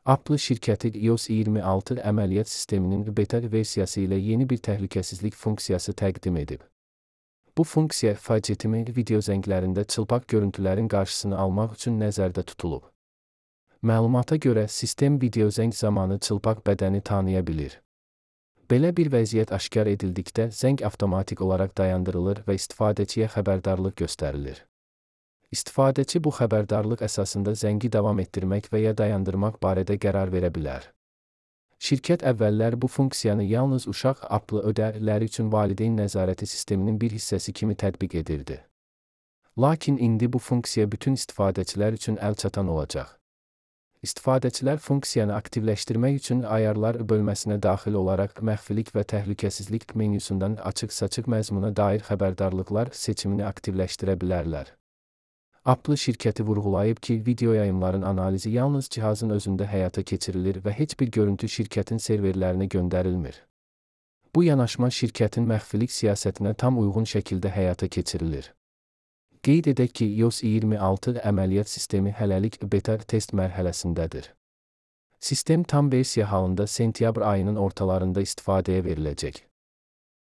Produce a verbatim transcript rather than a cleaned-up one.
Apple şirkəti iOS iyirmi altı əməliyyat sisteminin beta versiyası ilə yeni bir təhlükəsizlik funksiyası təqdim edib. Bu funksiya FaceTime video zənglərində çılpaq görüntülərin qarşısını almaq üçün nəzərdə tutulub. Məlumata görə, sistem video zəng zamanı çılpaq bədəni tanıya bilir. Belə bir vəziyyət aşkar edildikdə, zəng avtomatik olaraq dayandırılır və istifadəçiyə xəbərdarlıq göstərilir. İstifadəçi bu xəbərdarlıq əsasında zəngi davam etdirmək və ya dayandırmaq barədə qərar verə bilər. Şirkət əvvəllər bu funksiyanı yalnız uşaq Apple ödələri üçün valideyn nəzarəti sisteminin bir hissəsi kimi tətbiq edirdi. Lakin indi bu funksiya bütün istifadəçilər üçün əlçatan olacaq. İstifadəçilər funksiyanı aktivləşdirmək üçün ayarlar bölməsinə daxil olaraq məxfilik və təhlükəsizlik menyusundan açıq-saçıq məzmuna dair xəbərdarlıqlar seçimini aktivləşdirə bilərlər. Apple şirkəti vurğulayıb ki, video yayımların analizi yalnız cihazın özündə həyata keçirilir və heç bir görüntü şirkətin serverlərinə göndərilmir. Bu yanaşma şirkətin məxfilik siyasətinə tam uyğun şəkildə həyata keçirilir. Qeyd edək ki, iOS iyirmi altı əməliyyat sistemi hələlik beta test mərhələsindədir. Sistem tam versiya halında sentyabr ayının ortalarında istifadəyə veriləcək.